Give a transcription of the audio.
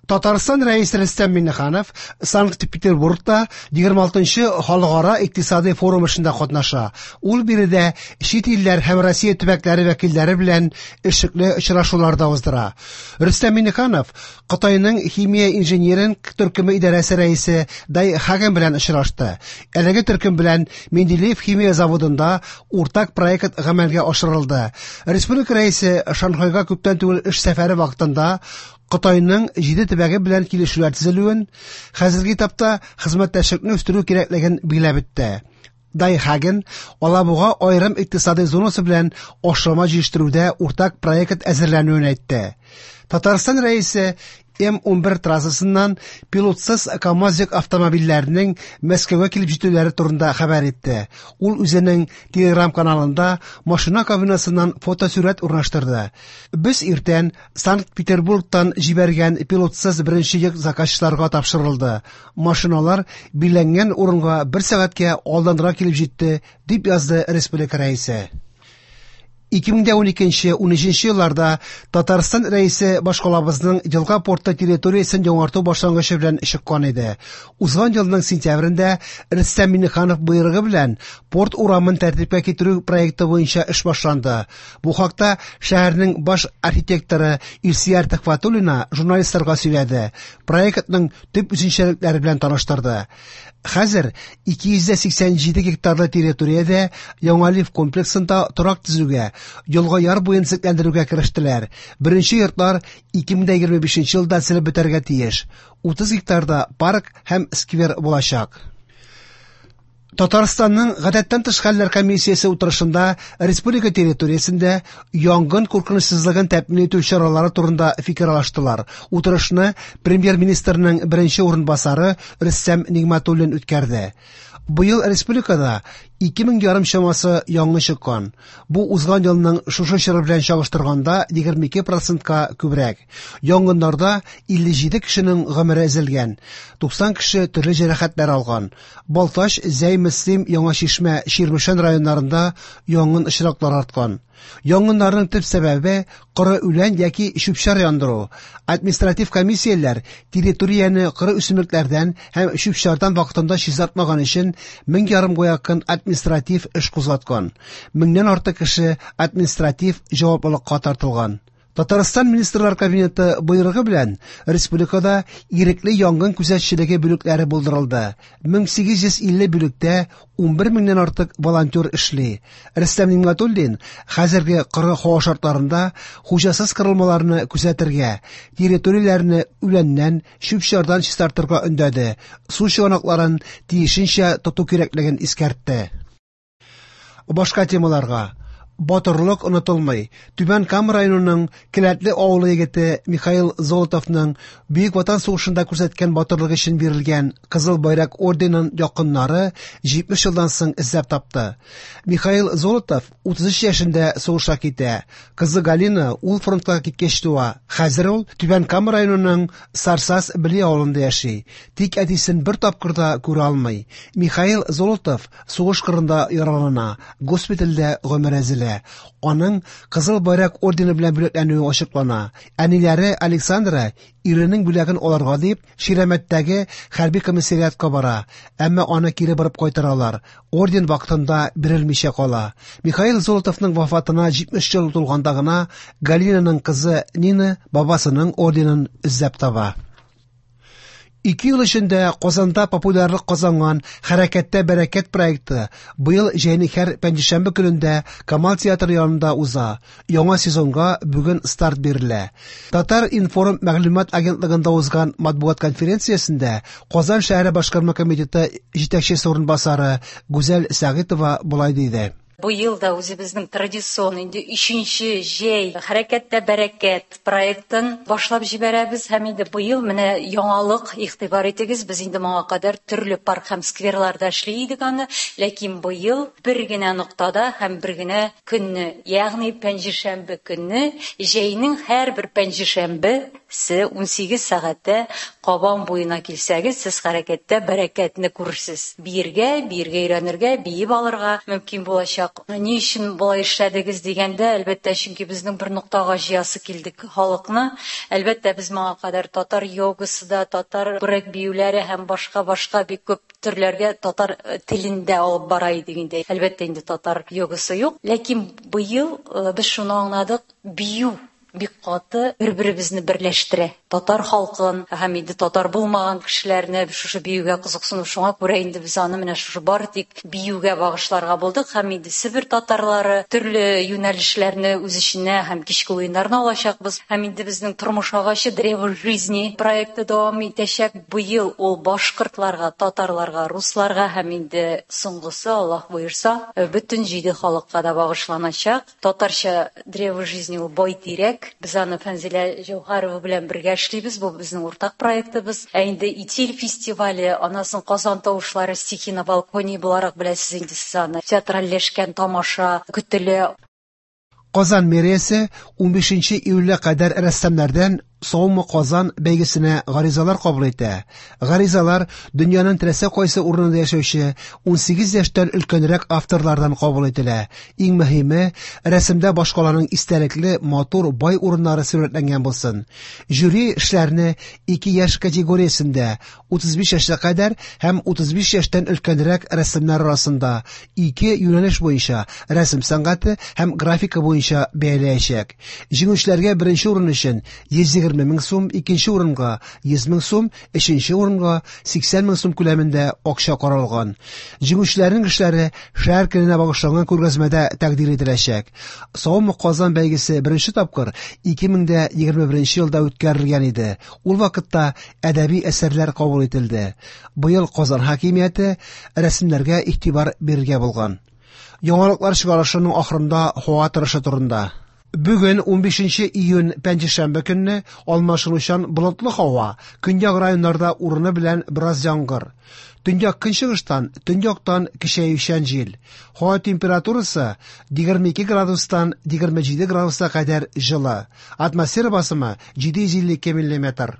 Татарстан Рәисе Рөстәм Миңнеханов Санкт-Петербургта 26-нчы халыкара икътисадый форум эшендә катнаша. Ул биредә чит илләр һәм Россия төбәкләре вәкилләре белән эшлекле очрашулар да уздыра. Рөстәм Миңнеханов Кытайның химия инжиниринг төркеме идарәсе рәисе Дай Хаген белән очрашты. Әлеге төркем белән Менделеев химия заводында уртак проект гамәлгә ашырылды. Республика рәисе Шанхайга күптән түгел эш сәфәре вакытында Кытайның 7 төбәге белән килешүләр төзелүен, хәзерге этапта хезмәттәшлекне үстерү кирәклеген билгеләп үтте. Дай Хаген Алабуга аерым икътисадый зонасы белән ашлама җитештерүдә уртак проект әзерләнүен әйтте. Татарстан Рәисе М-11 трассасыннан пилотсыз КАМАЗ йөк автомобильләренең Мәскәүгә килеп җитүләре турында хәбәр итте. Ул үзенең Телеграм-каналында машина кабинасыннан фотосурәт урнаштырды. Без иртән Санкт-Петербургтан җибәргән пилотсыз беренче йөк заказчыларга тапшырылды. Машиналар билгеләнгән урынга бер сәгатькә алданрак килеп җитте, дип язды республика рәисе. 2012-13 елларда Татарстан Рәисе башкалабызның елга порты территориясен яңарту башлангычы белән чыккан иде. Узган елның сентябрендә Рөстәм Миңнеханов боерыгы белән порт урамын тәртипкә китерү проекты буенча эш башланды. Бу хакта шәһәрнең баш архитекторы Илсөяр Төхвәтуллина журналистларга сөйләде. Проектның төп үзенчәлекләре белән таныштырды. Хәзер 287 гектарлы территориядә Яңа лифт комплексында торак төзүгә, елга яр буен төзекләндерүгә керештеләр. Беренче йортлар 2025 елда төзелеп бетәргә тиеш. 30 гектарда парк һәм сквер булачак. Татарстанның гадәттән тыш хәлләр комиссиясе утырышында республика территориясендә янгын куркынычсызлыгын тәэмин итү чаралары турында фикер алыштылар. Утырышны премьер-министрның беренче урынбасары Рөстәм Нигъмәтуллин үткәрде. Быел республикада 2500 чамасы янгын чыккан. Бу узган елның шушы чоры белән чагыштырганда 22%ка күбрәк. Янгыннарда 57 кешенең гомере өзелгән, 90 кеше төрле җәрәхәтләр алган. Балтач, Зәй, Мөслим, Яңа Чишмә, Чирмешән районнарында янгын очраклары арткан. Янгыннарның төп сәбәбе коры үлән яки чүп-чар яндыру. Административ комиссияләр территорияне коры үсемлекләрдән һәм чүп-чардан вакытында чистартмаган өчен 1500 якын административ эш кузгаткан. Меңнән артык кеше административ җаваплылыкка тартылган. Татарстан Министрлар Кабинеты боерыгы белән республикада ирекле янгын күзәтчелеге бүлекләре булдырылды. 1850 бүлектә 11 меңнән артык волонтер эшли. Рөстәм Нигъмәтуллин хәзерге коры һава шартларында хуҗасыз корылмаларны күзәтергә, территорияләрне үләннән, чүп-чардан чистартырга өндәде, су чыганакларын тиешенчә тоту кирәклеген искәртте. Башка темаларга. Батырлык онытылмый. Түбән Кама районының Келәтле авылы егете Михаил Золотовның Бөек Ватан сугышында күрсәткән батырлыгы өчен бирелгән Кызыл Байрак орденын якыннары 70 елдан соң эзләп тапты. Михаил Золотов 33 яшендә сугышка китә. Кызы Галина ул фронтка киткәч туа. Хәзер ул Түбән Кама районының Сарсаз Бели авылында яши. Тик әтисен бер тапкыр да күрә алмый. Михаил Золотов сугыш кырында яралана, госпитальдә гомере өзелә. Аның Кызыл Байрак ордены белән бүләкләнүе ачыклана. Әниләре Александра иренең бүләген алырга дип Ширәмәттәге хәрби комиссариатка бара, әмма аны кире борып кайтаралар. Орден вакытында бирелмичә кала. Михаил Золотовның вафатына 70 ел тулганда гына Галинаның кызы Нина бабасының орденын эзләп таба. 2 ел эчендә Казанда популярлык казанган Хәрәкәттә бәрәкәт проекты быел җәйнең һәр пәнҗешәмбе көнендә Камал театры янында уза. Яңа сезонга бүген старт бирелә. Татар информ мәгълүмат агентлыгында узган матбугат конференциясендә Казан шәһәре башкарма комитеты җитәкчесе урынбасары Гүзәл Сәгыйтова болай диде. Быел да үзебезнең традицион инде 3-нче җәй Хәрәкәттә бәрәкәт проектын башлап җибәрәбез һәм инде быел менә яңалык, игътибар итегез, без инде моңа кадәр төрле парк һәм скверларда эшли идек аны, ләкин быел бер генә ноктада һәм бер генә көнне, ягъни пәнҗешәмбе көнне, җәйнең һәрбер пәнҗешәмбесе 18 сәгатьтә Кабан буена килсәгез, сез хәрәкәттә бәрәкәтне күрерсез. Биергә, биергә өйрәнергә, биеп алырга мөмкин булачак. булачак. Ни өчен болай эшләдегез дигәндә, әлбәттә, чөнки безнең бер ноктага җыясы килдек халыкны. Әлбәттә, без моңа кадәр татар йогасы да, татар брейк биюләре һәм башка-башка бик күп төрләргә татар телендә алып бара идек инде. Әлбәттә, инде татар йогасы юк. Ләкин быел без шуны аңладык, бию бик каты бер-беребезне берләштерә. Татар халкын һәм инде татар булмаган кешеләрне шушы биюгә кызыксыну, шуңа күрә инде без аны менә шушы бары тик биюгә багышларга булдык һәм инде Себер татарлары төрле юнәлешләрне үз эченә һәм кичке уеннарны алачакбыз. Һәм инде безнең Тормыш агачы Древо жизни проекты дәвам итәчәк. Быел ул башкортларга, татарларга, русларга һәм инде соңгысы, Аллаһ боерса, бөтен җиде халыкка да багышланачак. Татарча Древо жизни ул байтирәк. Без аны Фәнзилә Җәүһәрова белән бергә эшлибез. Бу безнең уртак проектыбыз. Ә инде Итил фестивале, анасын Казан тавышлары стихи на балконе буларак беләсез инде сез аны. Театральләшкән тамаша көтелә. Казан мэриясе 15 июльгә кадәр рәссамнардан «Саумы Казан» бәйгесенә гаризалар кабул итә. Гаризалар дөньяның теләсә кайсы урынында яшәүче 18 яшьтән өлкәнрәк авторлардан кабул ителә. Иң мөһиме, рәсемдә башкаланың истәлекле, матур, бай урыннары сурәтләнгән булсын. Жюри эшләрне ике яшь категориясендә 35 яшькә кадәр һәм 35 яшьтән өлкәнрәк рәссамнар арасында ике юнәлеш буенча рәсем сәнгате һәм графика буенча бәяләячәк. Җиңүчеләргә беренче урын өчен 120 мең сум, икенче урынга 100 мең сум, өченче урынга 80 мең сум күләмендә акча каралган. Җиңүчеләрнең эшләре шәһәр көненә багышланган күргәзмәдә тәкъдир ителәчәк. «Саумы Казан» бәйгесе беренче тапкыр 2021 елда үткәрелгән иде. Ул вакытта әдәби әсәрләр кабул ителде. Быел Казан хакимияте рәсемнәргә игътибар бирергә булган. Яңалыклар чыгарышының ахырында һава торышы турында. Бүген 15 июнь пәнҗешәмбе көнне алмашынучан болытлы һава, көньяк районнарда урыны белән бераз яңгыр. Төньяк көнчыгыштан, төньяктан көчәючән җил. Һава температурасы 22 градустан 27 градуска кадәр җылы. Атмосфера басымы 752 миллиметр.